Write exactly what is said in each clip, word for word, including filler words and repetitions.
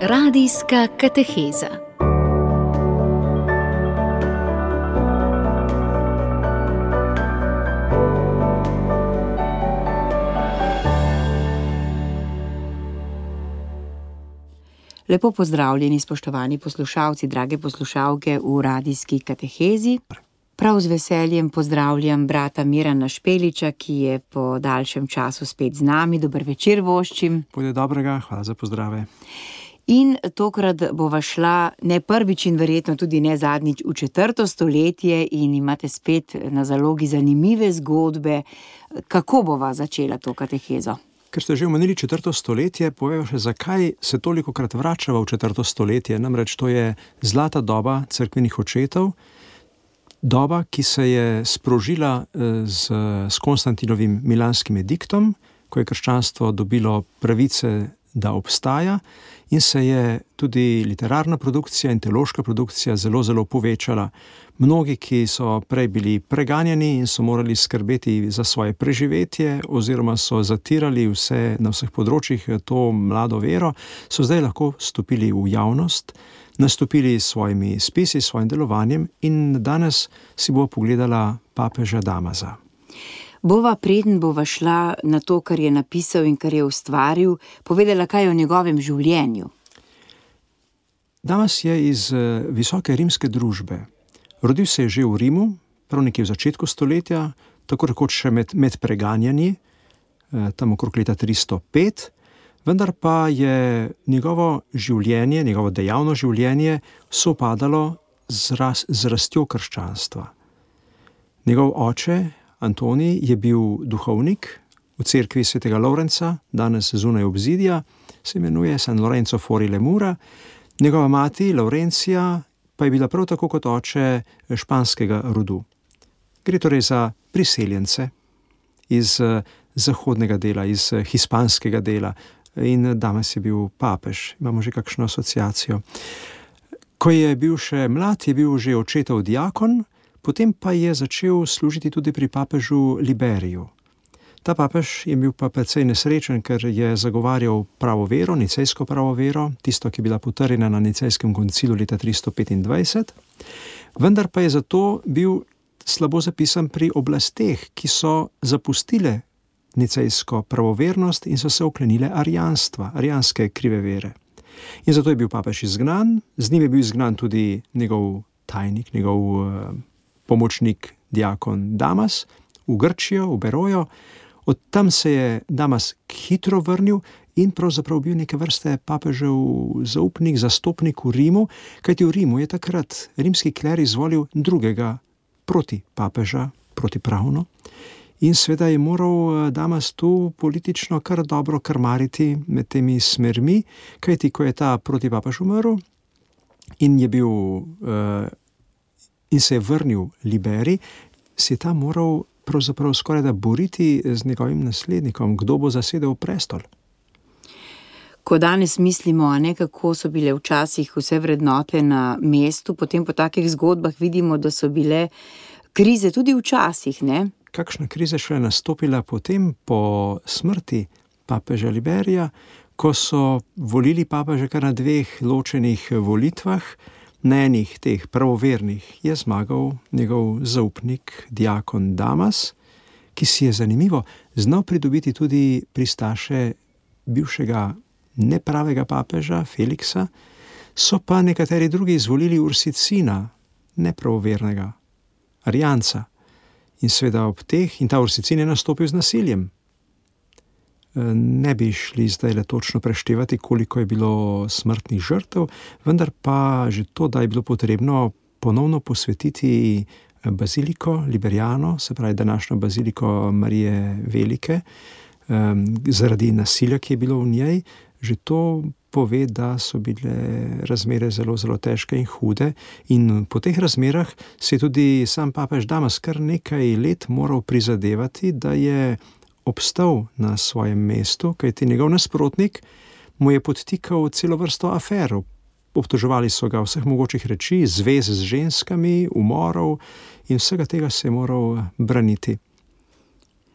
Radijska kateheza. Lepo pozdravljeni, spoštovani poslušalci, drage poslušalke v radijski katehezi. Prav z veseljem pozdravljam brata Mirana Špeliča, ki je po daljšem času spet z nami. Dober večer voščim. Bude dobrega, hvala za pozdrave. In tokrat bova šla ne prvič in verjetno tudi ne zadnjič v četrto stoletje in imate spet na zalogi zanimive zgodbe. Kako bova začela to katehezo? Ker ste že omenili četrto stoletje, povejmo še, zakaj se tolikokrat vračava v četrto stoletje. Namreč to je zlata doba cerkvenih očetov, doba, ki se je sprožila z, s Konstantinovim milanskim ediktom, ko je krščanstvo dobilo pravice, da obstaja, in se je tudi literarna produkcija in teološka produkcija zelo, zelo povečala. Mnogi, ki so prej bili preganjani in so morali skrbeti za svoje preživetje oziroma so zatirali vse na vseh področjih to mlado vero, so zdaj lahko stopili v javnost, nastopili s svojimi spisi, s svojim delovanjem in danes si bo pogledala papeža Damasa. Bova, preden bova šla na to, kar je napisal in kar je ustvaril, povedala kaj o njegovem življenju. Damas je iz visoke rimske družbe. Rodil se je že v Rimu, prav nekje v začetku stoletja, tako rekoč še med, med preganjanji, tam okrog leta tristo pet, vendar pa je njegovo življenje, njegovo dejavno življenje sopadalo z, raz, z rastjo krščanstva. Njegov oče, Antonij, je bil duhovnik v cerkvi svetega Lovrenca, danes zunaj obzidja, se imenuje San Lorenzo fuori le mura. Njegova mati, Laurencija, pa je bila prav tako kot oče španskega rodu. Gre torej za priseljence iz zahodnega dela, iz hispanskega dela, in Damas je bil papež. Imamo že kakšno asociacijo. Ko je bil še mlad, je bil že očetov diakon, potem pa je začel služiti tudi pri papežu Liberiju. Ta papež je bil pa precej nesrečen, ker je zagovarjal pravo vero, nicejsko pravo vero, tisto, ki je bila potrjena na nicejskem koncilu leta tristo petindvajset, vendar pa je zato bil slabo zapisan pri oblasteh, ki so zapustile nicejsko pravovernost in so se oklenile arijanstva, arijanske krive vere. In zato je bil papež izgnan, z njim je bil izgnan tudi njegov tajnik, njegov uh, pomočnik, diakon Damas, v Grčijo, v Berojo. Od tam se je Damas hitro vrnil in pravzaprav bil neke vrste papežev zaupnik, zastopnik v Rimu, kajti v Rimu je takrat rimski kler izvolil drugega proti papeža, protipravno. In seveda je moral Damas tu politično kar dobro krmariti med temi smermi, kajti ko je ta protipapež umrl in je bil uh, in se je vrnil Liberij, se je ta moral pravzaprav skoraj da boriti z njegovim naslednikom, kdo bo zasedel prestol. Ko danes mislimo, a ne, kako so bile včasih vse vrednote na mestu, potem po takih zgodbah vidimo, da so bile krize tudi včasih, ne? Kakšna kriza še je nastopila potem po smrti papeža Liberija, ko so volili papeža kar na dveh ločenih volitvah. Na enih teh pravovernih je zmagal njegov zaupnik, diakon Damas, ki si je zanimivo znal pridobiti tudi pristaše bivšega nepravega papeža Feliksa, so pa nekateri drugi izvolili Ursicina, nepravovernega, arijanca. In seveda ob teh, in ta Ursicin je nastopil z nasiljem. Ne bi šli zdaj le točno preštevati, koliko je bilo smrtnih žrtev, vendar pa že to, da je bilo potrebno ponovno posvetiti baziliko Liberiano, se pravi današnjo baziliko Marije Velike, zaradi nasilja, ki je bilo v njej, že to pove, da so bile razmere zelo, zelo težke in hude. In po teh razmerah se je tudi sam papež Damas kar nekaj let moral prizadevati, da je obstal na svojem mestu, kajti njegov nasprotnik mu je podtikal celo vrsto afer. Obtoževali so ga vseh mogočih reči, zvez z ženskami, umorov in vsega tega se je moral braniti.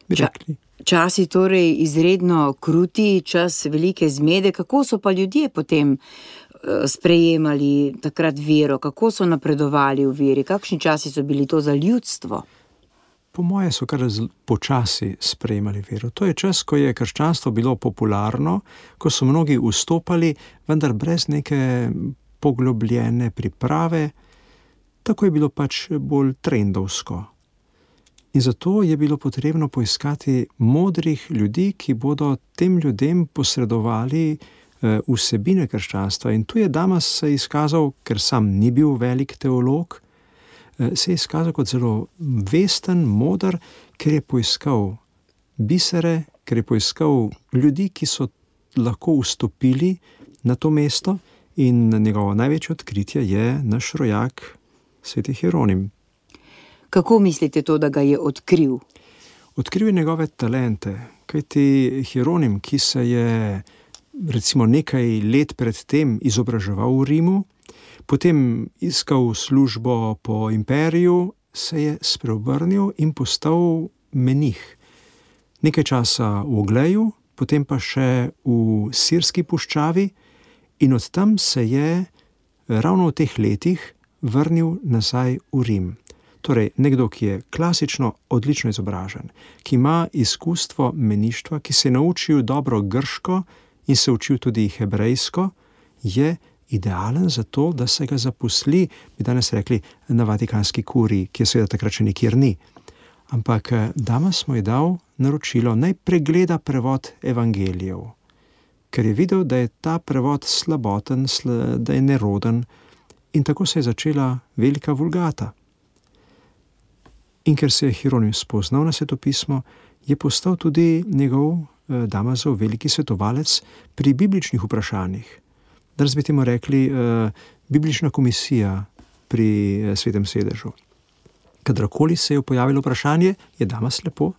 Bi Ča, rekli. Časi torej izredno kruti, čas velike zmede. Kako so pa ljudje potem sprejemali takrat vero? Kako so napredovali v veri? Kakšni časi so bili to za ljudstvo? Po moje so kar počasi sprejemali vero. To je čas, ko je krščanstvo bilo popularno, ko so mnogi vstopali, vendar brez neke poglobljene priprave. Tako je bilo pač bolj trendovsko. In zato je bilo potrebno poiskati modrih ljudi, ki bodo tem ljudem posredovali vsebine krščanstva. In tu je Damas se izkazal, ker sam ni bil velik teolog, se je izkazal kot zelo vesten, moder, ker je poiskal bisere, ker je poiskal ljudi, ki so lahko vstopili na to mesto, in njegovo največje odkritje je naš rojak, sveti Hieronim. Kako mislite to, da ga je odkril? Odkril je njegove talente, kajti Hieronim, ki se je recimo nekaj let pred tem izobraževal v Rimu, potem iskal službo po imperiju, se je spreobrnil in postal menih. Nekaj časa v Ogleju, potem pa še v Sirski puščavi, in od tam se je ravno v teh letih vrnil nazaj v Rim. Torej, nekdo, ki je klasično odlično izobražen, ki ima izkustvo meništva, ki se je naučil dobro grško in se učil tudi hebrejsko, je idealen za to, da se ga zaposli, bi danes rekli, na Vatikanski kuriji, ki je seveda takrat še nikjer ni. Ampak Damas mu je dal naročilo, naj pregleda prevod evangelijev, ker je videl, da je ta prevod slaboten, da je neroden, in tako se je začela velika vulgata. In ker se je Hieronim spoznal na svetopismo, je postal tudi njegov Damasov veliki svetovalec pri bibličnih vprašanjih. Danes bi temu rekli uh, biblična komisija pri uh, svetem sedežu. Kadarkoli se je pojavilo vprašanje, je Damas lepo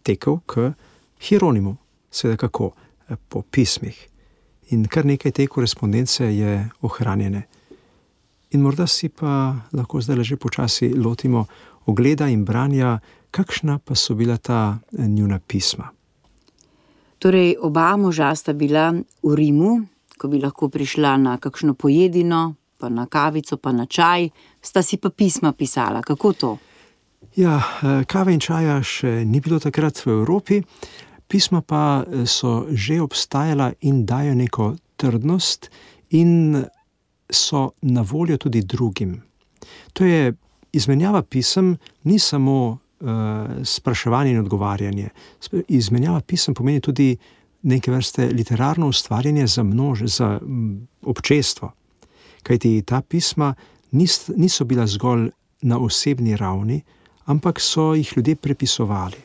tekel k Hieronimu. Seveda kako? Po pismih. In kar nekaj te korespondence je ohranjene. In morda si pa lahko zdaj že počasi lotimo ogleda in branja, kakšna pa so bila ta njuna pisma. Torej, oba moža sta bila v Rimu, ko bi lahko prišla na kakšno pojedino, pa na kavico, pa na čaj, sta si pa pisma pisala. Kako to? Ja, kave in čaja še ni bilo takrat v Evropi, pisma pa so že obstajala in dajo neko trdnost in so na voljo tudi drugim. To je izmenjava pisem, ni samo spraševanje in odgovarjanje. Izmenjava pisem pomeni tudi neke vrste literarno ustvarjanje za množ, za občestvo. Kajti ta pisma nis, niso bila zgolj na osebni ravni, ampak so jih ljudje prepisovali.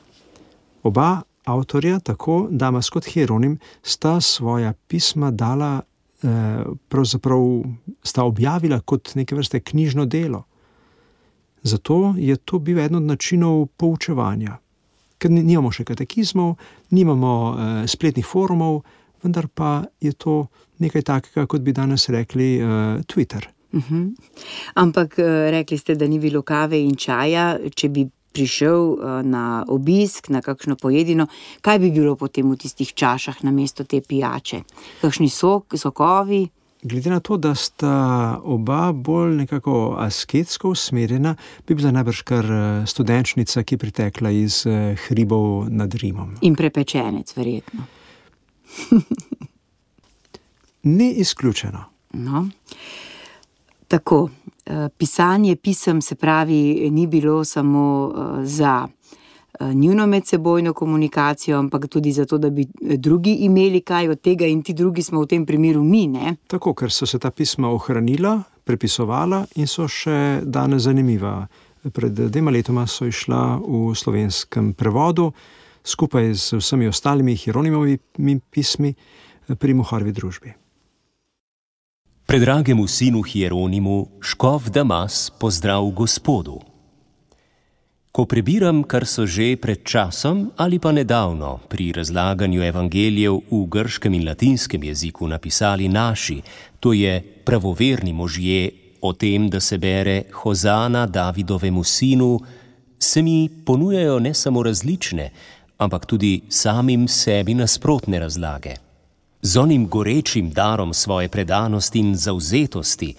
Oba avtorja, tako Damas kot Hieronim, sta svoja pisma dala, eh, pravzaprav sta objavila kot neke vrste knjižno delo. Zato je to bil eden od načinov poučevanja. Ker nimamo še katekizmov, nimamo eh, spletnih forumov, vendar pa je to nekaj takega, kot bi danes rekli eh, Twitter. Uh-huh. Ampak eh, rekli ste, da ni bilo kave in čaja, če bi prišel eh, na obisk, na kakšno pojedino, kaj bi bilo potem v tistih čašah namesto te pijače? Kakšni sok, sokovi? Glede na to, da sta oba bolj nekako asketsko usmerjena, bi bila najbrž kar študenčnica, ki pritekla iz hribov nad Rimom. In prepečenec, verjetno. Ni izključeno. No. Tako, pisanje pisem, se pravi, ni bilo samo za njuno medsebojno komunikacijo, ampak tudi zato, da bi drugi imeli kaj od tega, in ti drugi smo v tem primeru mi, ne? Tako, ker so se ta pisma ohranila, prepisovala in so še danes zanimiva. Pred dvema letoma so išla v slovenskem prevodu, skupaj z vsemi ostalimi Hieronimovimi pismi pri Moharjevi družbi. Predragemu sinu Hieronimu, škof Damas, pozdrav Gospodu. Ko prebiram, kar so že pred časom ali pa nedavno pri razlaganju evangelijev v grškem in latinskem jeziku napisali naši, to je pravoverni možje, o tem, da se bere Hozana Davidovemu sinu, se mi ponujajo ne samo različne, ampak tudi samim sebi nasprotne razlage. Z onim gorečim darom svoje predanosti in zavzetosti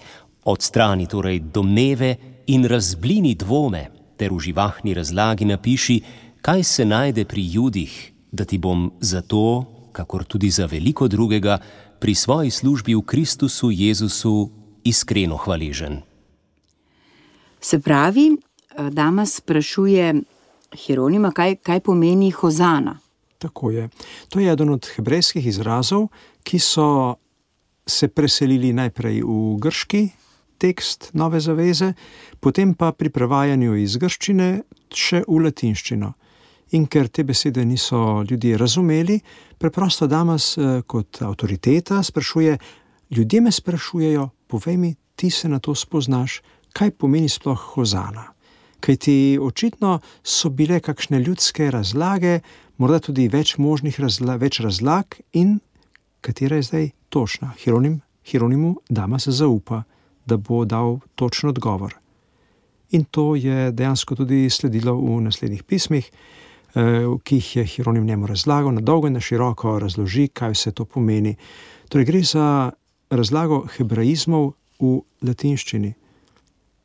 odstrani torej domneve in razblini dvome, ter v živahni razlagi napiši, kaj se najde pri Judih, da ti bom za to, kakor tudi za veliko drugega, pri svoji službi v Kristusu Jezusu iskreno hvaležen. Se pravi, Damas sprašuje Hieronima, kaj, kaj pomeni hozana. Tako je. To je eden od hebrejskih izrazov, ki so se preselili najprej v grški tekst Nove zaveze, potem pa pri prevajanju iz grščine še v latinščino. In ker te besede niso ljudje razumeli, preprosto Damas kot avtoriteta sprašuje, ljudje me sprašujejo, povej mi, ti se na to spoznaš, kaj pomeni sploh hozana. Kajti očitno so bile kakšne ljudske razlage, morda tudi več možnih razla, več razlag in katera je zdaj točna. Hieronim, Hieronimu Damas zaupa, da bo dal točen odgovor. In to je dejansko tudi sledilo v naslednjih pismih, ki jih je Hieronim njemu razlagal, na dolgo in na široko razloži, kaj vse to pomeni. Torej gre za razlago hebraizmov v latinščini.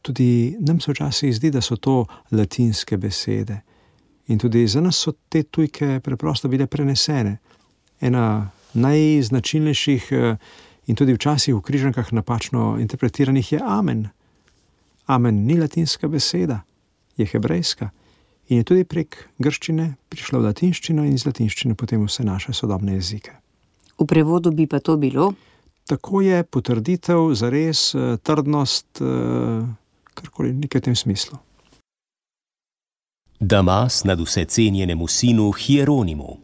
Tudi nam se včasih zdi, da so to latinske besede. In tudi za nas so te tujke preprosto bile prenesene. Ena najznačilnejših in tudi včasih v križankah napačno interpretiranih je amen. Amen ni latinska beseda, je hebrejska. In je tudi prek grščine prišla v latinščino in iz latinščine potem vse naše sodobne jezike. V prevodu bi pa to bilo? Tako je potrditev, zares, trdnost, karkoli, nekaj v tem smislu. Damas nad vse cenjenemu sinu Hieronimu.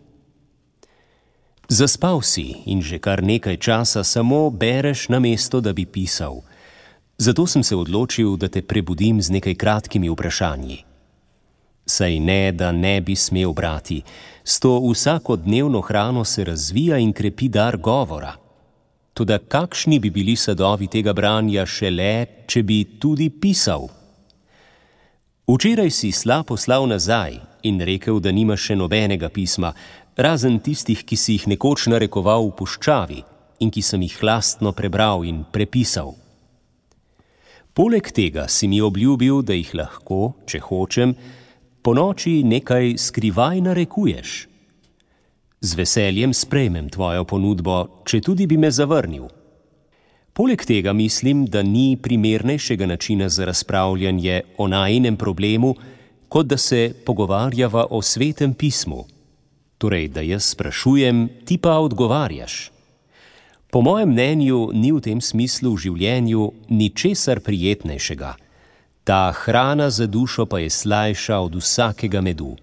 Zaspal si in že kar nekaj časa samo bereš namesto, da bi pisal. Zato sem se odločil, da te prebudim z nekaj kratkimi vprašanji. Saj ne, da ne bi smel brati. S to vsakodnevno hrano se razvija in krepi dar govora. Toda kakšni bi bili sadovi tega branja šele, če bi tudi pisal? Včeraj si sla poslal nazaj in rekel, da nima še nobenega pisma, razen tistih, ki si jih nekoč narekoval v puščavi in ki sem jih lastno prebral in prepisal. Poleg tega si mi obljubil, da jih lahko, če hočem, po noči nekaj skrivaj narekuješ. Z veseljem sprejmem tvojo ponudbo, če tudi bi me zavrnil. Poleg tega mislim, da ni primernejšega načina za razpravljanje o najinem problemu, kot da se pogovarjava o svetem pismu. Torej, da jaz sprašujem, ti pa odgovarjaš. Po mojem mnenju ni v tem smislu v življenju ničesar prijetnejšega. Ta hrana za dušo pa je slajša od vsakega medu.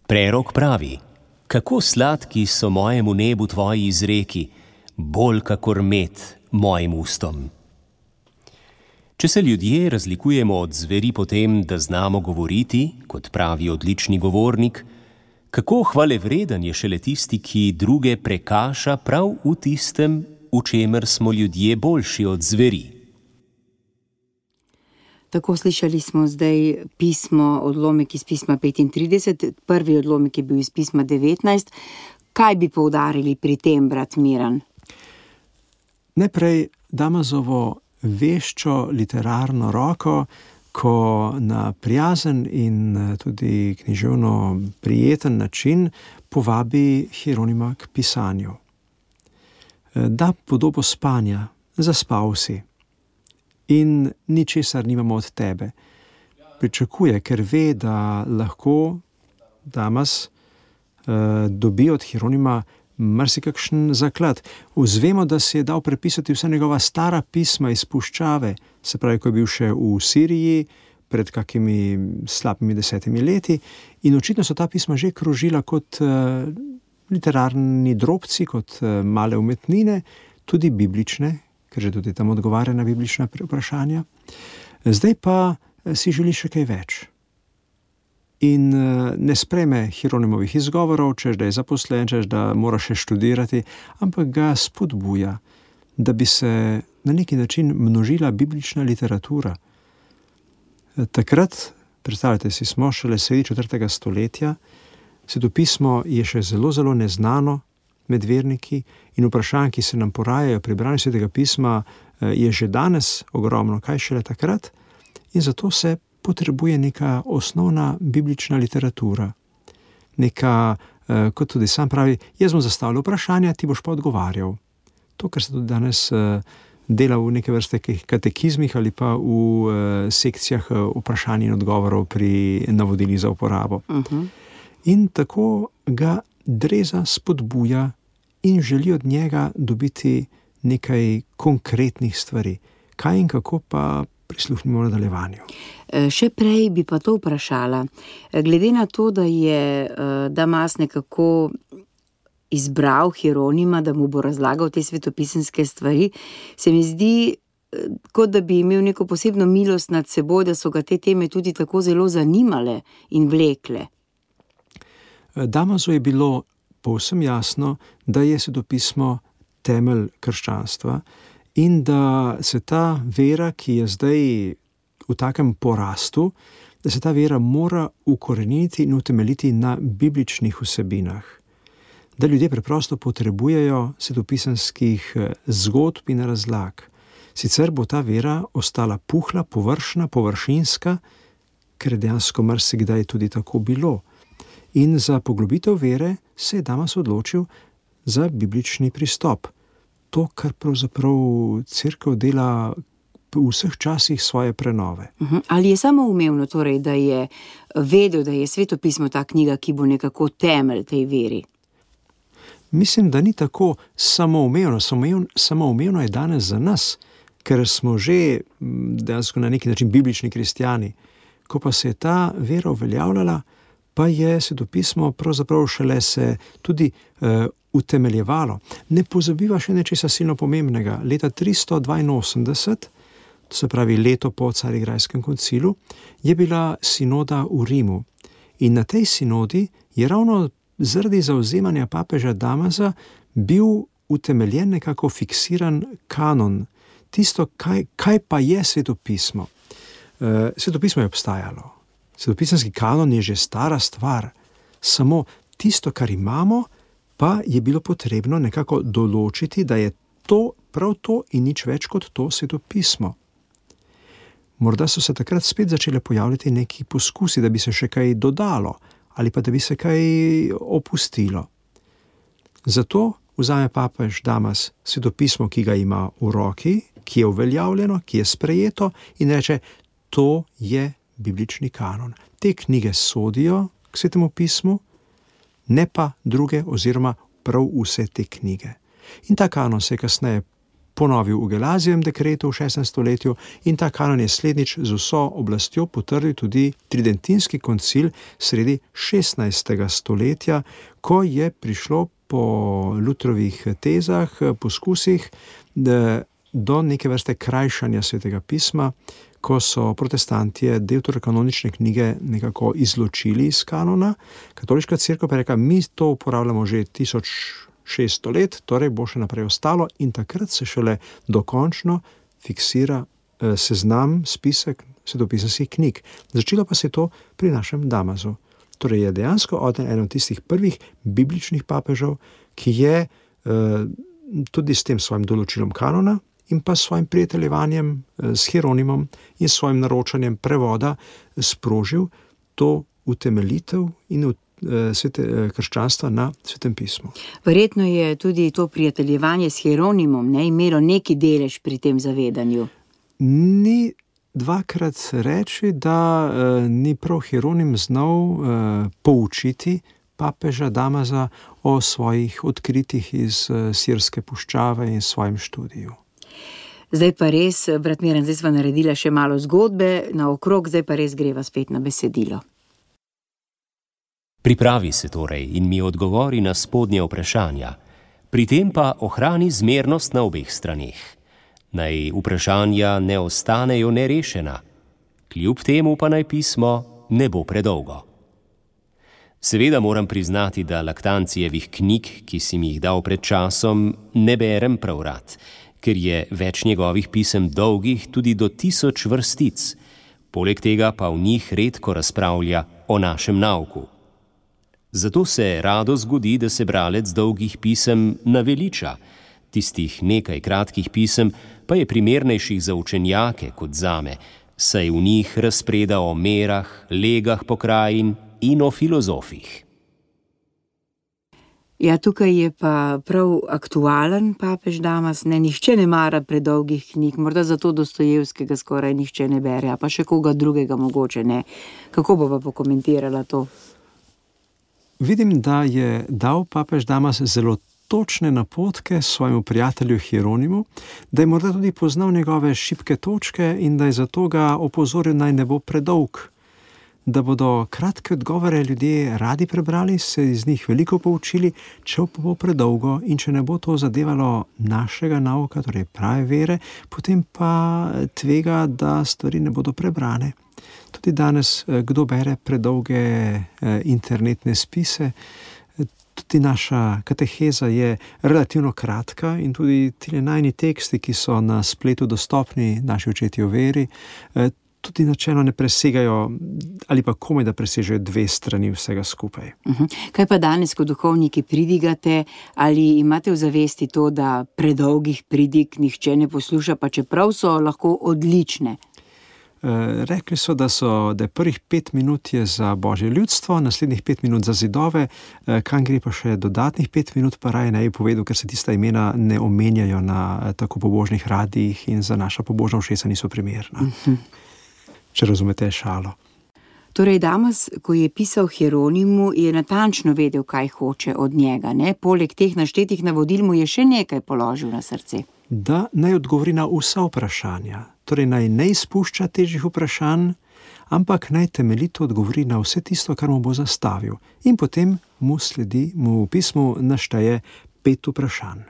Prerok pravi, kako sladki so mojemu nebu tvoji izreki, bolj kakor med mojim ustom. Če se ljudje razlikujemo od zveri po tem, da znamo govoriti, kot pravi odlični govornik, kako hvalevreden je šele tisti, ki druge prekaša prav v tistem, v čemer smo ljudje boljši od zveri. Tako slišali smo zdaj pismo, odlomek iz pisma petintrideset, prvi odlomek je bil iz pisma devetnajst. Kaj bi poudarili pri tem, brat Miran? Najprej Damasovo veščo literarno roko, ko na prijazen in tudi književno prijeten način povabi Hieronima k pisanju. Da podobo spanja, zaspal si. In ničesar nimamo od tebe. Pričakuje, ker ve, da lahko Damas eh, dobi od Hieronima marsikakšen zaklad. Vzvemo, da si je dal prepisati vsa njegova stara pisma iz puščave, se pravi, ko je bil še v Siriji pred kakimi slabimi desetimi leti, in očitno so ta pisma že krožila kot eh, literarni drobci, kot eh, male umetnine, tudi biblične, ker že tudi tam odgovarja na biblična vprašanja. Zdaj pa si želi še kaj več. In ne sprejme Hieronimovih izgovorov, češ da je zaposlen, češ da mora še študirati, ampak ga spodbuja, da bi se na neki način množila biblična literatura. Takrat, predstavljate si, smo šele sredi četrtega stoletja, Svetopismo je še zelo, zelo neznano med verniki in vprašanj, ki se nam porajajo pri branju Svetega pisma, je že danes ogromno, kaj šele takrat, in zato se potrebuje neka osnovna biblična literatura. Neka, kot tudi sam pravi, jaz bom zastavljal vprašanja, ti boš pa odgovarjal. To, kar se tudi danes dela v neke vrste katekizmih ali pa v sekcijah vprašanj in odgovorov pri navodilih za uporabo. Uh-huh. In tako ga Dreza spodbuja in želi od njega dobiti nekaj konkretnih stvari. Kaj in kako pa prisluhnimo v nadaljevanju. Še prej bi pa to vprašala. Glede na to, da je Damas nekako izbral Hieronima, da mu bo razlagal te svetopisemske stvari, se mi zdi, kot da bi imel neko posebno milost nad seboj, da so ga te teme tudi tako zelo zanimale in vlekle. Damasu je bilo povsem jasno, da je svetopismo temelj krščanstva in da se ta vera, ki je zdaj v takem porastu, da se ta vera mora ukoreniti in utemeljiti na bibličnih vsebinah. Da ljudje preprosto potrebujejo svetopisemskih zgodb in razlag. Sicer bo ta vera ostala puhla, površna, površinska, ker je dejansko marsikdaj tudi tako bilo. In za poglobitev vere se je Damas odločil za biblični pristop. To, kar pravzaprav cerkev dela v vseh časih svoje prenove. Uh-huh. Ali je samoumevno torej, da je vedel, da je svetopismo ta knjiga, ki bo nekako temelj tej veri? Mislim, da ni tako samoumevno. Samoumevno je danes za nas, ker smo že dejansko na neki način biblični kristjani. Ko pa se je ta vera uveljavljala, pa je svetopismo pravzaprav šele se tudi uh, utemeljevalo. Ne pozabiva še nečesa silno pomembnega. Leta tristo dvainosemdeset, to se pravi leto po Carigrajskem koncilu, je bila sinoda v Rimu. In na tej sinodi je ravno zaradi zavzemanja papeža Damasa bil utemeljen nekako fiksiran kanon. Tisto, kaj, kaj pa je svetopismo. Uh, svetopismo je obstajalo. Svetopisemski kanon je že stara stvar. Samo tisto, kar imamo, pa je bilo potrebno nekako določiti, da je to prav to in nič več kot to svetopismo. Morda so se takrat spet začele pojavljati neki poskusi, da bi se še kaj dodalo ali pa da bi se kaj opustilo. Zato vzame papež Damas svetopismo, ki ga ima v roki, ki je uveljavljeno, ki je sprejeto in reče, to je biblični kanon. Te knjige sodijo k svetemu pismu, ne pa druge oziroma prav vse te knjige. In ta kanon se je kasneje ponovil v Gelazijevem dekretu v šestem stoletju in ta kanon je slednjič z vso oblastjo potrdil tudi Tridentinski koncil sredi šestnajstega stoletja, ko je prišlo po Lutrovih tezah, poskusih do neke vrste krajšanja svetega pisma, ko so protestantje deuterokanonične knjige nekako izločili iz kanona. Katoliška cerkev pa je rekla, mi to uporabljamo že tisoč šeststo let, torej bo še naprej ostalo in takrat se šele dokončno fiksira eh, seznam, spisek svetopisemskih knjig. Začelo pa se to pri našem Damasu. Torej je dejansko eden od tistih prvih bibličnih papežev, ki je eh, tudi s tem svojim določilom kanona in pa s svojim prijateljevanjem s Hieronimom in s svojim naročanjem prevoda sprožil to utemeljitev in svete, krščanstva na svetem pismu. Verjetno je tudi to prijateljevanje s Hieronimom ne, imelo neki delež pri tem zavedanju. Ni dvakrat reči, da eh, ni prav Hieronim znal eh, poučiti papeža Damasa o svojih odkritjih iz eh, Sirske puščave in svojem študiju. Zdaj pa res, brat Miran, zdaj sva naredila še malo zgodbe naokrog, zdaj pa res greva spet na besedilo. Pripravi se torej in mi odgovori na spodnje vprašanja. Pri tem pa ohrani zmernost na obeh straneh. Naj vprašanja ne ostanejo nerešena. Kljub temu pa naj pismo ne bo predolgo. Seveda moram priznati, da Laktancijevih knjig, ki si mi jih dal pred časom, ne berem prav rad, ker je več njegovih pisem dolgih tudi do tisoč vrstic. Poleg tega pa v njih redko razpravlja o našem nauku. Zato se rado zgodi, da se bralec dolgih pisem naveliča, tistih nekaj kratkih pisem pa je primernejših za učenjake kot zame, saj v njih razpreda o merah, legah pokrajin in o filozofih. Ja, tukaj je pa prav aktualen papež Damas, ne, nihče ne mara predolgih knjig, morda zato Dostojevskega skoraj nihče ne bere, a pa še koga drugega mogoče ne. Kako bova pokomentirala to? Vidim, da je dal papež Damas zelo točne napotke svojemu prijatelju Hieronimu, da je morda tudi poznal njegove šibke točke in da je zato ga opozoril, naj ne bo predolg. Da bodo kratke odgovore ljudje radi prebrali, se iz njih veliko poučili, če pa bo predolgo in če ne bo to zadevalo našega nauka, torej prave vere, potem pa tvega, da stvari ne bodo prebrane. Tudi danes, kdo bere predolge internetne spise, tudi naša kateheza je relativno kratka in tudi ti najni teksti, ki so na spletu dostopni naši očetje v veri, tudi načelno ne presegajo ali pa komaj da presežejo dve strani vsega skupaj. Uh-huh. Kaj pa danes, ko duhovniki pridigate, ali imate v zavesti to, da predolgih pridig nihče ne posluša, pa čeprav so lahko odlične? E, rekli so, da so, da je prvih pet minut je za Božje ljudstvo, naslednjih pet minut za zidove, e, kam gre pa še dodatnih pet minut, pa raje ne bi povedal, ker se tista imena ne omenjajo na tako pobožnih radijih in za naša pobožna ušesa niso primerna. Uh-huh. Če razumete šalo. Torej, Damas, ko je pisal Hieronimu, je natančno vedel, kaj hoče od njega, ne? Poleg teh naštetih navodil mu je še nekaj položil na srce. Da naj odgovori na vsa vprašanja, torej naj ne izpušča težjih vprašanj, ampak naj temeljito odgovori na vse tisto, kar mu bo zastavil. In potem mu sledi, mu v pismu našteje pet vprašanj.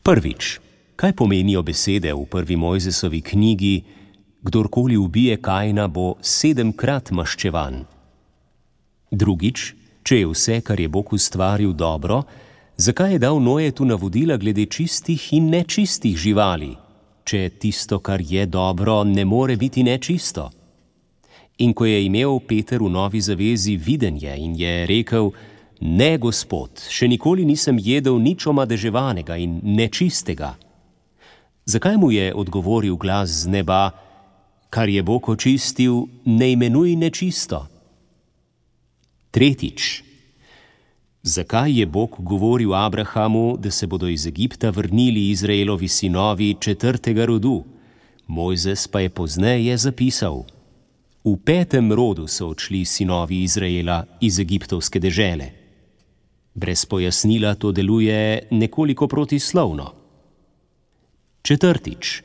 Prvič, kaj pomenijo besede v prvi Mojzesovi knjigi: kdorkoli ubije Kaina, bo sedemkrat maščevan? Drugič, če je vse, kar je Bog ustvaril, dobro, zakaj je dal Nojetu navodila glede čistih in nečistih živali, če tisto, kar je dobro, ne more biti nečisto? In ko je imel Peter v Novi zavezi videnje in je rekel: ne, Gospod, še nikoli nisem jedel nič omadeževanega in nečistega, zakaj mu je odgovoril glas z neba: kar je Bog očistil, ne imenuj nečisto? Tretjič, zakaj je Bog govoril Abrahamu, da se bodo iz Egipta vrnili Izraelovi sinovi četrtega rodu? Mojzes pa je pozneje zapisal: v petem rodu so odšli sinovi Izraela iz egiptovske dežele. Brez pojasnila to deluje nekoliko protislovno. Četrtič,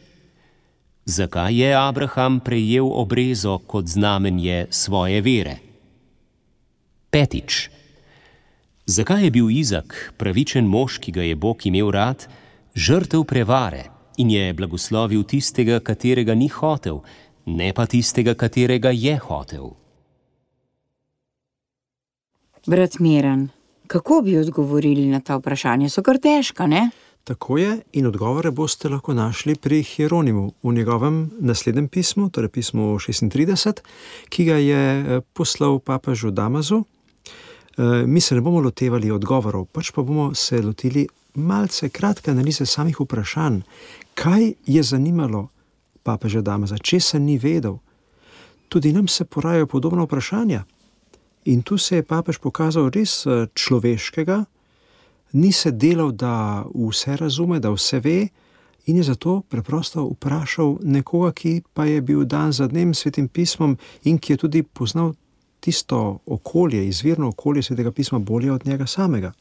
zakaj je Abraham prejel obrezo kot znamenje svoje vere? Petič, zakaj je bil Izak, pravičen mož, ki ga je Bog imel rad, žrtev prevare in je blagoslovil tistega, katerega ni hotel, ne pa tistega, katerega je hotel? Brat Miran, kako bi odgovorili na ta vprašanja? So kar težka, ne? Tako je, in odgovore boste lahko našli pri Hieronimu v njegovem naslednjem pismu, torej pismu šestintrideset, ki ga je poslal papežu Damasu. Mi se ne bomo lotevali odgovorov, pač pa bomo se lotili malce kratke analize samih vprašanj. Kaj je zanimalo papeža Damasa, česa ni vedel? Tudi nam se porajajo podobna vprašanja. In tu se je papež pokazal res človeškega, ni se delal, da vse razume, da vse ve, in je zato preprosto vprašal nekoga, ki pa je bil dan za dnem svetim pismom in ki je tudi poznal tisto okolje, izvirno okolje svetega pisma bolje od njega samega.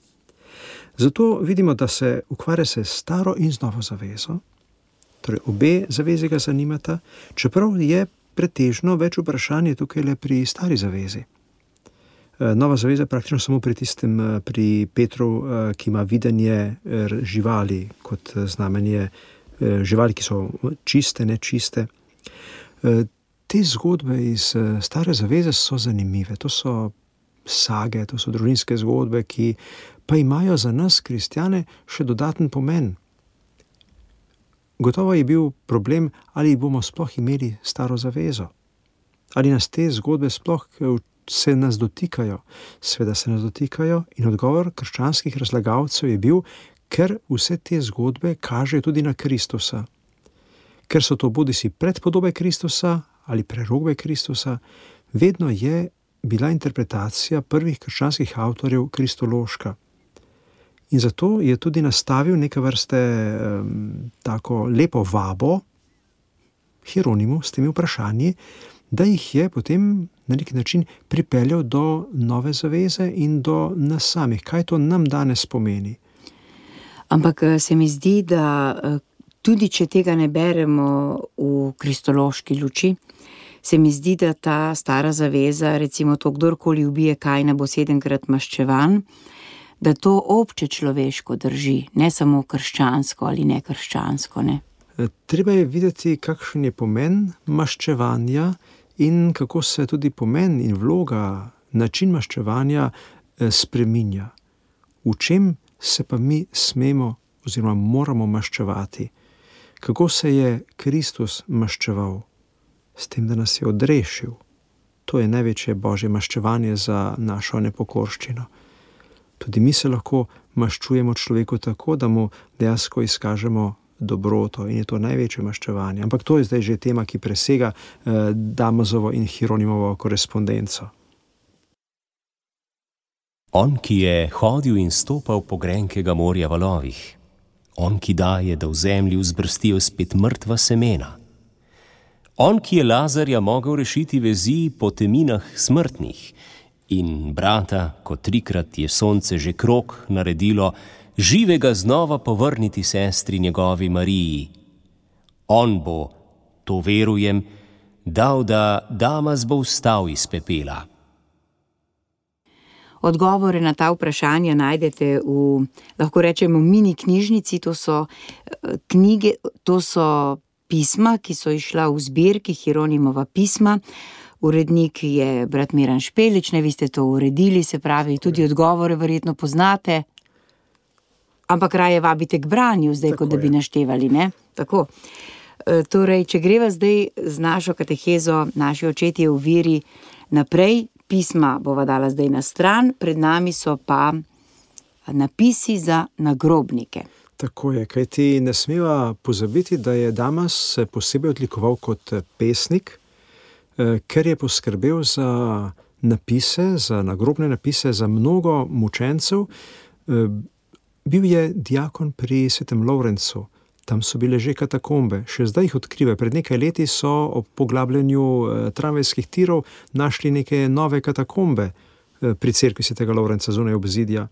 Zato vidimo, da se ukvarja se staro in z novo zavezo, torej obe zavezi ga zanimata, čeprav je pretežno več vprašanje tukaj le pri stari zavezi. Nova zaveza praktično samo pri tistem, pri Petru, ki ima videnje živali kot znamenje živali, ki so čiste, nečiste. Te zgodbe iz stare zaveze so zanimive, to so sage, to so družinske zgodbe, ki pa imajo za nas, kristjane, še dodaten pomen. Gotovo je bil problem, ali bomo sploh imeli staro zavezo. Ali nas te zgodbe sploh se nas dotikajo. Sveda se nas dotikajo in odgovor krščanskih razlagalcev je bil, ker vse te zgodbe kažejo tudi na Kristusa. Ker so to bodisi predpodobe Kristusa ali prerokbe Kristusa, vedno je bila interpretacija prvih krščanskih avtorjev kristološka. In zato je tudi nastavil neke vrste um, tako lepo vabo Hieronimu s temi vprašanji, da jih je potem na neki način pripeljal do nove zaveze in do nas samih. Kaj to nam danes pomeni? Ampak se mi zdi, da tudi če tega ne beremo v kristološki luči, se mi zdi, da ta stara zaveza, recimo to, kdorkoli ubije Kaina, bo sedemkrat maščevan, da to obče človeško drži, ne samo krščansko ali nekrščansko, ne? Treba je videti, kakšen je pomen maščevanja in kako se tudi pomen in vloga, način maščevanja spreminja. V čem se pa mi smemo oziroma moramo maščevati? Kako se je Kristus maščeval? S tem, da nas je odrešil. To je največje božje maščevanje za našo nepokorščino. Tudi mi se lahko maščujemo človeku tako, da mu dejansko izkažemo dobroto in je to največje maščevanje. Ampak to je zdaj že tema, ki presega eh, Damazovo in Hieronimovo korespondenco. On, ki je hodil in stopal po grenkega morja valovih. On, ki daje, da v zemlji vzbrstijo spet mrtva semena. On, ki je Lazarja mogel rešiti vezi po teminah smrtnih in brata, ko trikrat je sonce že krog naredilo, živega znova povrniti sestri njegovi Mariji. On bo, to verujem, dal, da Damaz bo vstal iz pepela. Odgovore na ta vprašanja najdete v, lahko rečemo, mini knjižnici, to so knjige, to so pisma, ki so išla v zbirki Hieronimova pisma. Urednik je brat Miran Špelič, ne, vi ste to uredili, se pravi, tudi odgovore verjetno poznate. Ampak raje vabite k branju zdaj, tako kot da bi naštevali, ne? Tako. E, torej, če greva zdaj z našo katehezo, naši očetje v veri naprej, pisma bova dala zdaj na stran, pred nami so pa napisi za nagrobnike. Tako je, kajti ne smeva pozabiti, da je Damaz se posebej odlikoval kot pesnik, ker je poskrbel za napise, za nagrobne napise, za mnogo mučencev. Bil je diakon pri svetem Lovrencu, tam so bile že katakombe, še zdaj jih odkrivajo. Pred nekaj leti so ob poglabljanju tramvajskih tirov našli neke nove katakombe pri cerkvi svetega Lovrenca zunaj obzidja.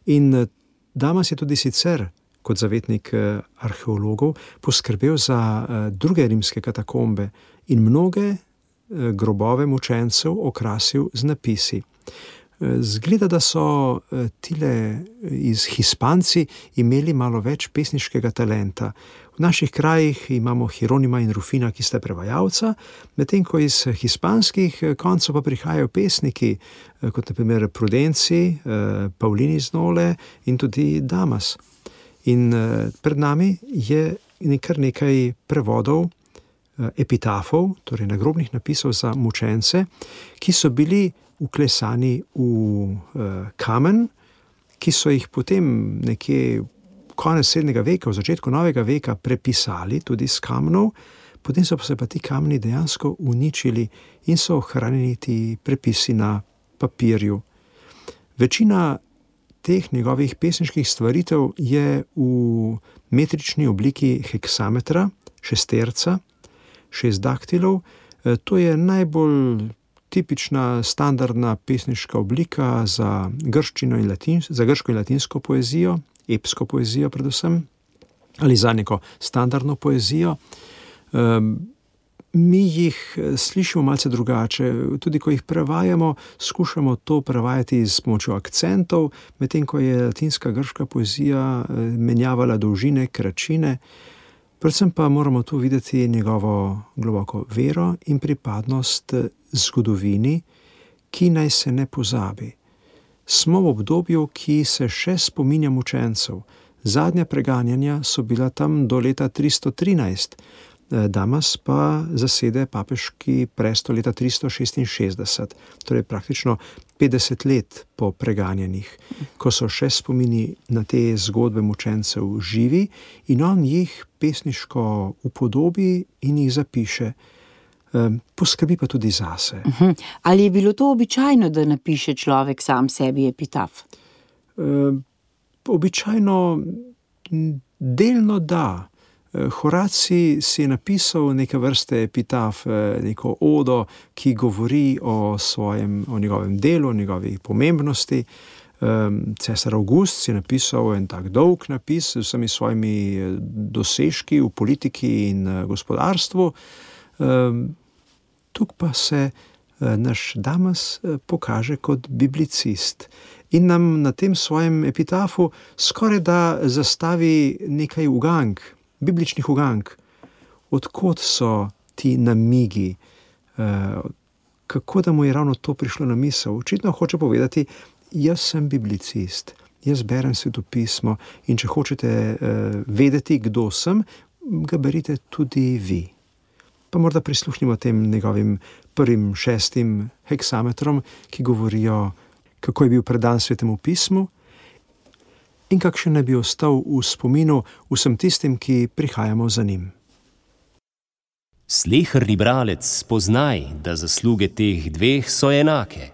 In Damaz je tudi sicer, kot zavetnik arheologov, poskrbel za druge rimske katakombe in mnoge grobove mučencev okrasil z napisi. Zgleda, da so tile iz Hispanci imeli malo več pesniškega talenta. V naših krajih imamo Hieronima in Rufina, ki sta prevajalca, medtem ko iz hispanskih koncev pa prihajajo pesniki, kot na primer Prudenci, Paulini z Nole in tudi Damaz. In pred nami je kar nekaj prevodov epitafov, torej nagrobnih napisov za mučence, ki so bili uklesani v uh, kamen, ki so jih potem nekje konec srednjega veka, v začetku novega veka prepisali tudi z kamnov, potem so se pa ti kamni dejansko uničili in so ohranjeni ti prepisi na papirju. Večina teh njegovih pesniških stvaritev je v metrični obliki heksametra, šesterca, šest daktilov. E, to je najbolj tipična, standardna pesniška oblika za grščino in latin, za grško in latinsko poezijo, epsko poezijo predvsem, ali za neko standardno poezijo. Um, mi jih slišimo malce drugače, tudi ko jih prevajamo, skušamo to prevajati s pomočjo akcentov, medtem ko je latinska grška poezija menjavala dolžine, kračine. Predvsem pa moramo tu videti njegovo globoko vero in pripadnost zgodovini, ki naj se ne pozabi. Smo v obdobju, ki se še spominja mučencev. Zadnja preganjanja so bila tam do leta tristo trinajst. Damas pa zasede papeški prestol leta tristo šestinšestdeset, torej praktično petdeset let po preganjenih, ko so še spomini na te zgodbe mučencev živi in on jih pesniško upodobi in jih zapiše. Poskrbi pa tudi zase. Uh-huh. Ali je bilo to običajno, da napiše človek sam sebi epitaf? E, običajno delno da. Horacij si je napisal neke vrste epitaf, neko odo, ki govori o svojem, o njegovem delu, o njegovi pomembnosti. Cesar Avgust si je napisal en tak dolg napis z vsemi svojimi dosežki v politiki in gospodarstvu. Tukaj pa se naš Damas pokaže kot biblicist in nam na tem svojem epitafu skoraj da zastavi nekaj ugank, bibličnih ugank. Odkot so ti namigi, kako da mu je ravno to prišlo na misel. Očitno hoče povedati, jaz sem biblicist, jaz berem Svetopismo in če hočete vedeti, kdo sem, ga berite tudi vi. Pa morda prisluhnimo tem njegovim prvim šestim heksametrom, ki govorijo, kako je bil predan Svetemu pismu in kakšen naj bi ostal v spominu vsem tistim, ki prihajamo za njim. Sleherni bralec, spoznaj, da zasluge teh dveh so enake.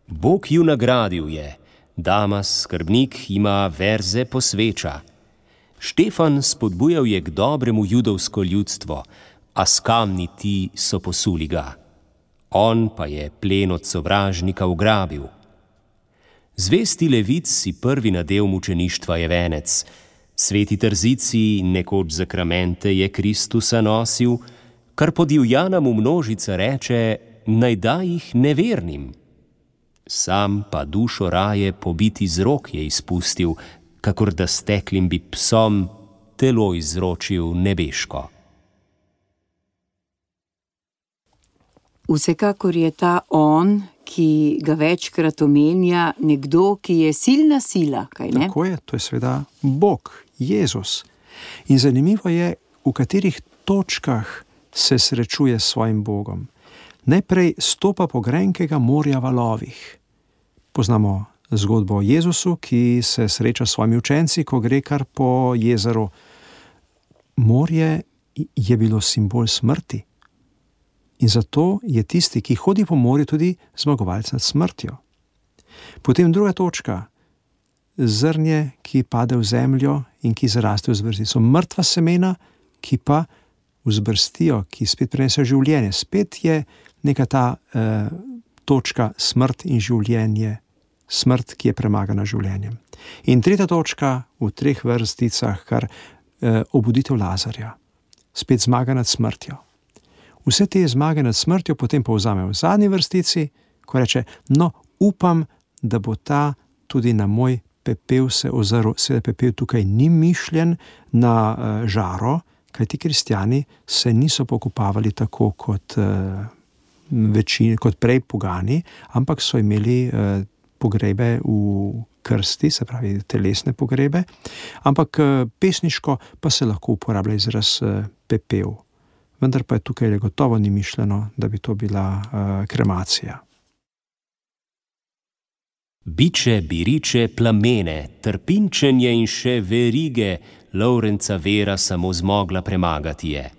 Bog ju nagradil je, Damas, skrbnik, ima verze posveča. Štefan spodbujal je k dobremu judovsko ljudstvo, a s kamni ti so posuli ga. On pa je plen od sovražnika ugrabil. Zvesti Levic si prvi nadev mučeništva je venec, sveti Trzici nekoč zakramente je Kristusa nosil, kar podivjana mu množica reče, naj da jih nevernim. Sam pa dušo raje pobiti z rok je izpustil, kakor da steklim bi psom telo izročil nebeško. Vsekakor je ta on, ki ga večkrat omenja, nekdo, ki je silna sila, kaj ne? Tako je, to je seveda Bog, Jezus. In zanimivo je, v katerih točkah se srečuje s svojim Bogom. Najprej stopa po grenkega morja valovih. Poznamo zgodbo o Jezusu, ki se sreča s svojimi učenci, ko gre kar po jezeru. Morje je bilo simbol smrti. In zato je tisti, ki hodi po morju, tudi zmagovalec nad smrtjo. Potem druga točka, zrnje, ki pade v zemljo in ki zaraste v zbrstico. Mrtva semena, ki pa vzbrstijo, ki spet prinesejo življenje. Spet je neka ta eh, točka smrt in življenje, smrt, ki je premagana življenjem. In tretja točka v treh vrsticah, kar eh, obuditev Lazarja. Spet zmaga nad smrtjo. Vse te zmage nad smrtjo potem povzame v zadnji vrstici, ko reče, no, upam, da bo ta tudi na moj pepel se ozrl. Seveda pepel tukaj ni mišljen na uh, žaro, kajti kristjani se niso pokopavali tako kot, uh, večini, kot prej pogani, ampak so imeli uh, pogrebe v krsti, se pravi telesne pogrebe, ampak uh, pesniško pa se lahko uporablja izraz uh, pepel. Vendar pa je tukaj gotovo ni mišljeno, da bi to bila uh, kremacija. Biče, biriče, plamene, trpinčenje in še verige, Lovrenca vera samo zmogla premagati je.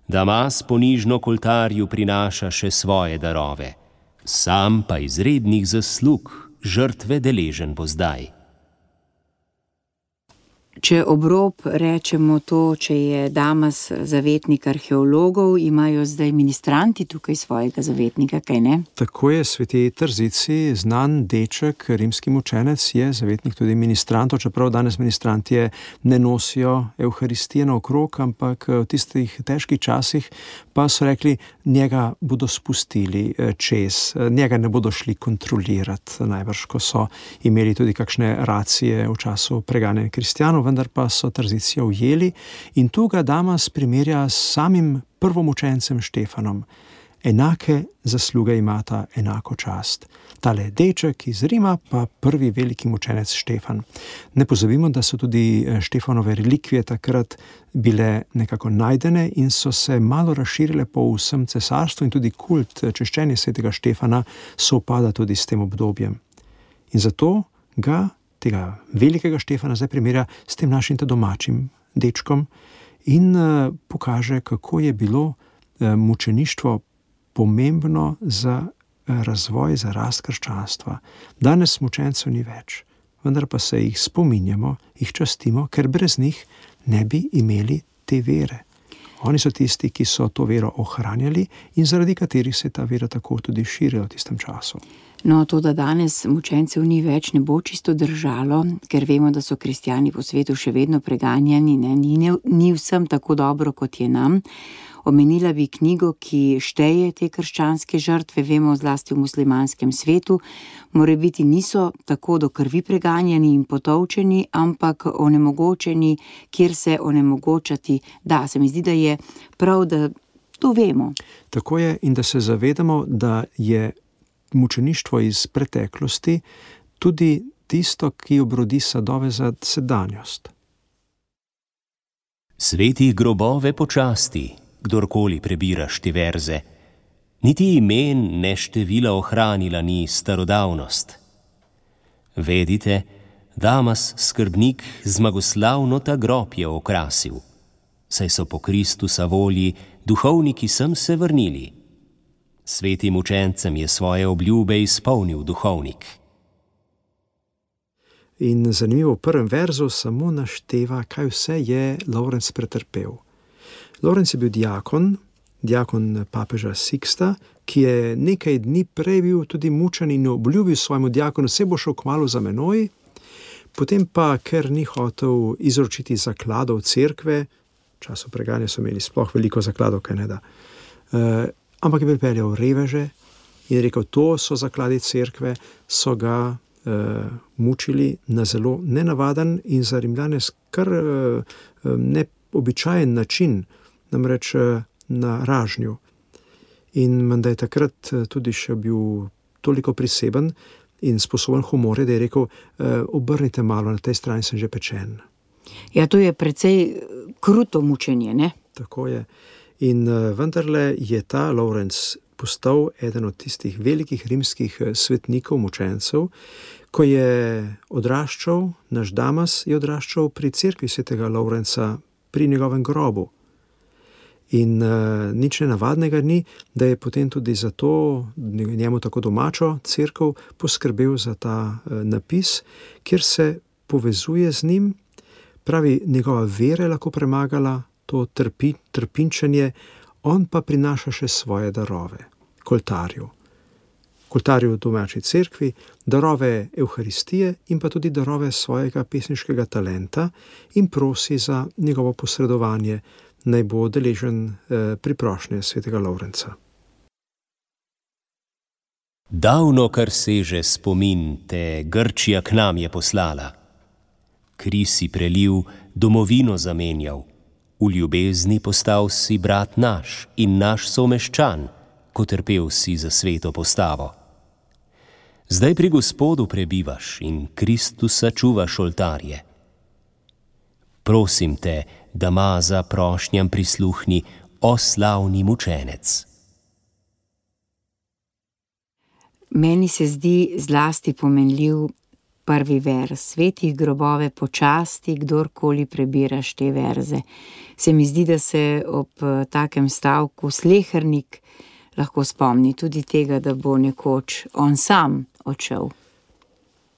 Damas ponižno k oltarju prinaša še svoje darove, sam pa izrednih zaslug žrtve deležen bo zdaj. Če ob rob rečemo to, če je Damas zavetnik arheologov, imajo zdaj ministranti tukaj svojega zavetnika, kaj ne? Tako je, sveti Trzici, znan deček, rimski mučenec, je zavetnik tudi ministrantov, čeprav danes ministranti ne nosijo Evharistije naokrog, ampak v tistih težkih časih pa so rekli, njega bodo spustili čez, njega ne bodo šli kontrolirati, najbrž, ko so imeli tudi kakšne racije v času preganjanja kristjanov, vendar pa so Trzicijo ujeli in tu ga Damas primerja s samim prvomučencem Štefanom. enake zasluge imata enako čast. Tale deček iz Rima pa prvi veliki mučenec Štefan. Ne pozabimo, da so tudi Štefanove relikvije takrat bile nekako najdene in so se malo razširile po vsem cesarstvu in tudi kult češčenja svetega Štefana sovpada tudi s tem obdobjem. In zato ga, tega velikega Štefana, zdaj primerja s tem našim domačim dečkom in uh, pokaže, kako je bilo uh, mučeništvo pomembno za razvoj, za rast krščanstva. Danes mučencev ni več, vendar pa se jih spominjamo, jih častimo, ker brez njih ne bi imeli te vere. Oni so tisti, ki so to vero ohranjali in zaradi katerih se je ta vera tako tudi širila v tistem času. No, to, da danes mučencev ni več, ne bo čisto držalo, ker vemo, da so kristjani po svetu še vedno preganjani, ne? Ni, ne, ni vsem tako dobro, kot je nam. Omenila bi knjigo, ki šteje te krščanske žrtve, vemo zlasti v muslimanskem svetu, morebiti niso tako do krvi preganjani in potolčeni, ampak onemogočeni, kjer se onemogočati da. Se mi zdi, da je prav, da to vemo. Tako je, in da se zavedamo, da je mučeništvo iz preteklosti tudi tisto, ki obrodi sadove za sedanjost. Sveti grobove počasti, kdorkoli prebiraš te verze, niti imen ne števila ohranila ni starodavnost. Vedite, Damas, skrbnik, zmagoslavno ta grob je okrasil, saj so po Kristusa volji duhovniki sem se vrnili. Svetim učencem je svoje obljube izpolnil duhovnik. In zanimivo, v prvem verzu samo našteva, kaj vse je Lovrenc pretrpel. Lovrenc je bil diakon, diakon papeža Siksta, ki je nekaj dni prej bil tudi mučen in obljubil svojemu diakonu, se bo šel kmalu za menoj, potem pa, ker ni hotel izročiti zakladov cerkve, v času preganja so imeli sploh veliko zakladov, kaj ne da, uh, ampak je pripeljal reveže in rekel, to so zakladi cerkve, so ga uh, mučili na zelo nenavaden in za Rimljane kar uh, neobičajen način, namreč na ražnju. In menda je takrat tudi še bil toliko priseben in sposoben humorja, da je rekel, obrnite malo, na tej strani sem že pečen. Ja, to je precej kruto mučenje, ne? Tako je. In vendarle je ta Lovrenc postal eden od tistih velikih rimskih svetnikov, mučencev, ko je odraščal, naš Damas je odraščal pri cerkvi svetega Lovrenca, pri njegovem grobu. In uh, nič nenavadnega ni, da je potem tudi za to njemu tako domačo cerkev poskrbel za ta uh, napis, kjer se povezuje z njim, pravi, njegova vera je lahko premagala to trpi, trpinčenje, on pa prinaša še svoje darove, koltarju. Koltarju domači cerkvi, darove Evharistije in pa tudi darove svojega pesniškega talenta in prosi za njegovo posredovanje, naj bo deležen eh, pri prošnje svetega Lovrenca. Davno, kar seže spomin, te Grčija k nam je poslala. Kri si prelil, domovino zamenjal, v ljubezni postal si brat naš in naš someščan, ko trpel si za sveto postavo. Zdaj pri Gospodu prebivaš in Kristusa čuvaš oltarje. Prosim te, da ma za prošnjam prisluhni, o slavni mučenec. Meni se zdi zlasti pomenljiv prvi verz. Svetih grobove počasti, kdorkoli prebiraš te verze. Se mi zdi, da se ob takem stavku slehernik lahko spomni tudi tega, da bo nekoč on sam odšel.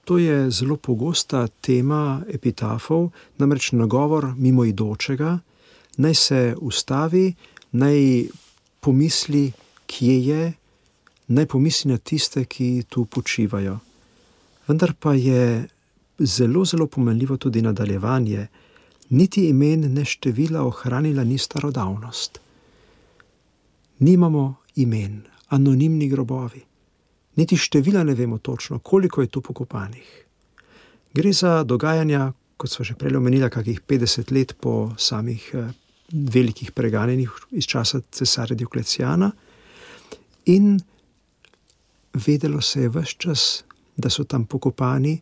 To je zelo pogosta tema epitafov, namreč nagovor mimoidočega, naj se ustavi, naj pomisli, kje je, naj pomisli na tiste, ki tu počivajo. Vendar pa je zelo, zelo pomenljivo tudi nadaljevanje. Niti imen ne števila ohranila ni starodavnost. Nimamo imen, anonimni grobovi. Niti števila ne vemo točno, koliko je tu pokopanih. Gre za dogajanja, kot sva že prej omenila, kakih petdeset let po samih eh, velikih preganjenih iz časa cesarja Dioklecijana. In vedelo se je ves čas, da so tam pokopani,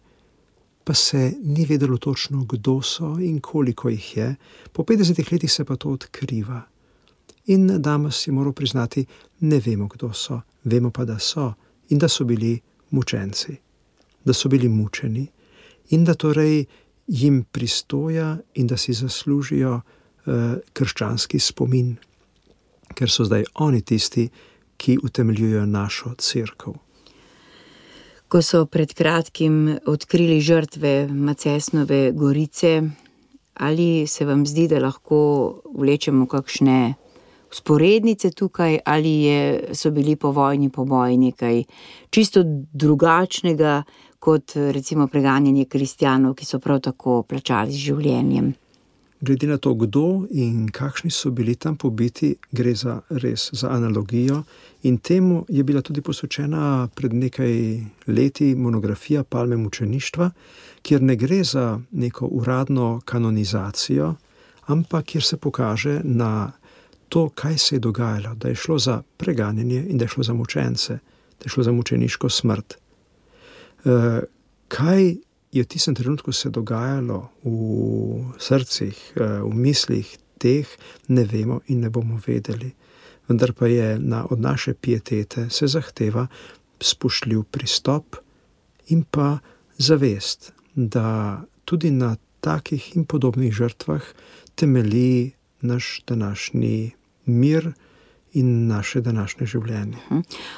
pa se ni vedelo točno, kdo so in koliko jih je. Po petdesetih letih se pa to odkriva. In Damas je moral priznati, ne vemo, kdo so, vemo pa, da so in da so bili mučenci, da so bili mučeni in da torej jim pristoja in da si zaslužijo uh, krščanski spomin, ker so zdaj oni tisti, ki utemeljujejo našo cerkev. Ko so pred kratkim odkrili žrtve Macesnove gorice, ali se vam zdi, da lahko vlečemo kakšne vzporednice tukaj, ali je, so bili po vojni poboji nekaj čisto drugačnega kot recimo preganjanje kristjanov, ki so prav tako plačali z življenjem? Glede na to, kdo in kakšni so bili tam pobiti, gre za res za analogijo in temu je bila tudi posvečena pred nekaj leti monografija Palme mučeništva, kjer ne gre za neko uradno kanonizacijo, ampak kjer se pokaže na to, kaj se je dogajalo, da je šlo za preganjanje in da je šlo za mučence, da je šlo za mučeniško smrt. E, kaj je v tistem trenutku se dogajalo v srcih, v mislih teh, ne vemo in ne bomo vedeli. Vendar pa je na, od naše pietete se zahteva spoštljiv pristop in pa zavest, da tudi na takih in podobnih žrtvah temelji naš današnji mir in naše današnje življenje.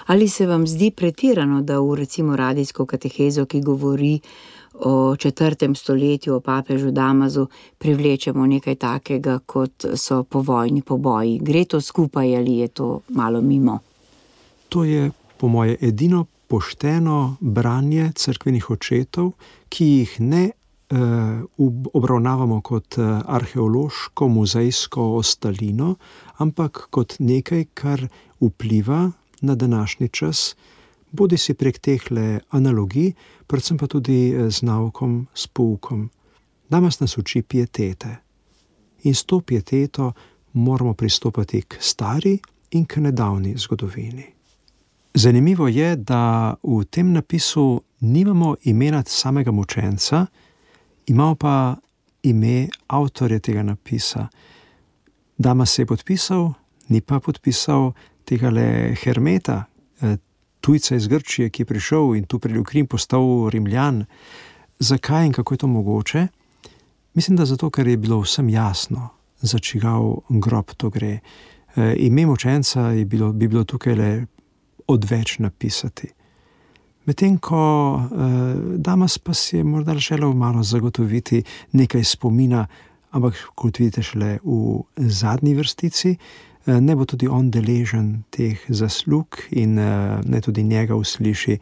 Ali se vam zdi pretirano, da v recimo radijsko katehezo, ki govori o četrtem stoletju, o papežu Damasu, privlečemo nekaj takega, kot so povojni poboji? Gre to skupaj ali je to malo mimo? To je po moje edino pošteno branje cerkvenih očetov, ki jih ne uh, obravnavamo kot arheološko, muzejsko ostalino, ampak kot nekaj, kar vpliva na današnji čas, bodi si prek tehle analogij, predvsem pa tudi z naukom, s poukom. Damas nas uči pietete. In s to pieteto moramo pristopati k stari in k nedavni zgodovini. Zanimivo je, da v tem napisu nimamo imena samega mučenca, imamo pa ime avtorja tega napisa. Damas se je podpisal, ni pa podpisal tegale Hermeta, tujca iz Grčije, ki je prišel in tu pridel v Krim, postal Rimljan. Zakaj in kako je to mogoče? Mislim, da zato, ker je bilo vsem jasno, za čigav grob to gre. E, ime mučenca je bilo, bi bilo tukaj le odveč napisati. Medtem ko e, Damas pa si je morda želel malo zagotoviti nekaj spomina, ampak kot vidite šele v zadnji vrstici, ne bo tudi on deležen teh zaslug in ne tudi njega usliši.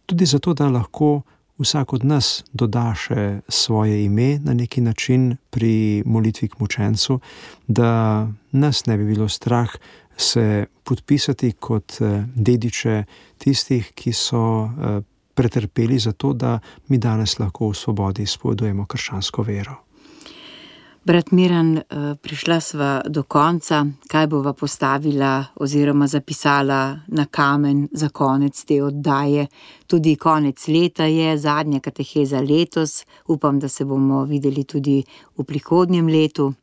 Tudi zato, da lahko vsak od nas doda še svoje ime na neki način pri molitvi k mučencu, da nas ne bi bilo strah se podpisati kot dediče tistih, ki so pretrpeli za to, da mi danes lahko v svobodi izpovedujemo krščansko vero. Brat Miran, prišla sva do konca. Kaj bova postavila oziroma zapisala na kamen za konec te oddaje? Tudi konec leta je, zadnja kateheza letos. Upam, da se bomo videli tudi v prihodnjem letu.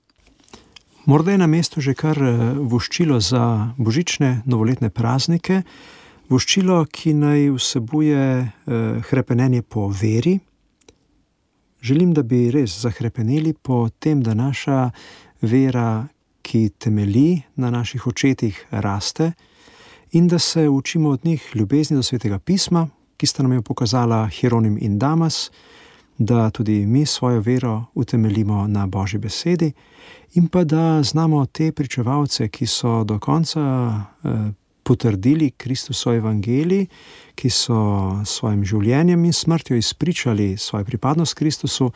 Morda je na mestu že kar voščilo za božične novoletne praznike. Voščilo, ki naj vsebuje hrepenenje po veri. Želim, da bi res zahrepeneli po tem, da naša vera, ki temelji na naših očetih, raste in da se učimo od njih ljubezni do Svetega pisma, ki sta nam jo pokazala Hieronim in Damas, da tudi mi svojo vero utemeljimo na Božji besedi in pa da znamo te pričevalce, ki so do konca eh, potrdili Kristusovo evangelij, ki so svojim življenjem in smrtjo izpričali svojo pripadnost Kristusu,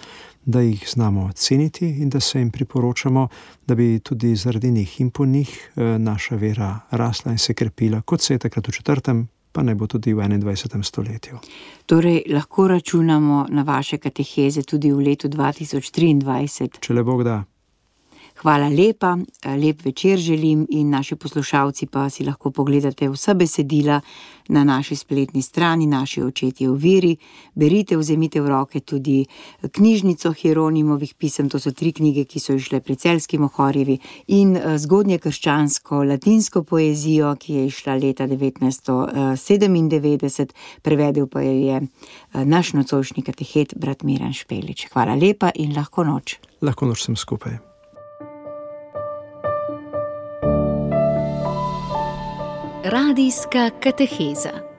da jih znamo ceniti in da se jim priporočamo, da bi tudi zaradi njih in po njih naša vera rasla in se krepila, kot se je takrat v četrtem, pa ne bo tudi v enaindvajsetem stoletju. Torej, lahko računamo na vaše kateheze tudi v letu dva tisoč triindvajset? Če le Bog da. Hvala lepa, lep večer želim in naši poslušalci pa si lahko pogledate vsa besedila na naši spletni strani, Naši očetje v veri. Berite, vzemite v roke tudi knjižnico Hieronimovih pisem, to so tri knjige, ki so išle pri Celjski Mohorjevi, in zgodnje krščansko latinsko poezijo, ki je išla leta devetnajststo sedemindevetdeset, prevedel pa jo je naš nocojšnji katehet, brat Miran Špelič. Hvala lepa in lahko noč. Lahko noč sem skupaj. Radijska kateheza.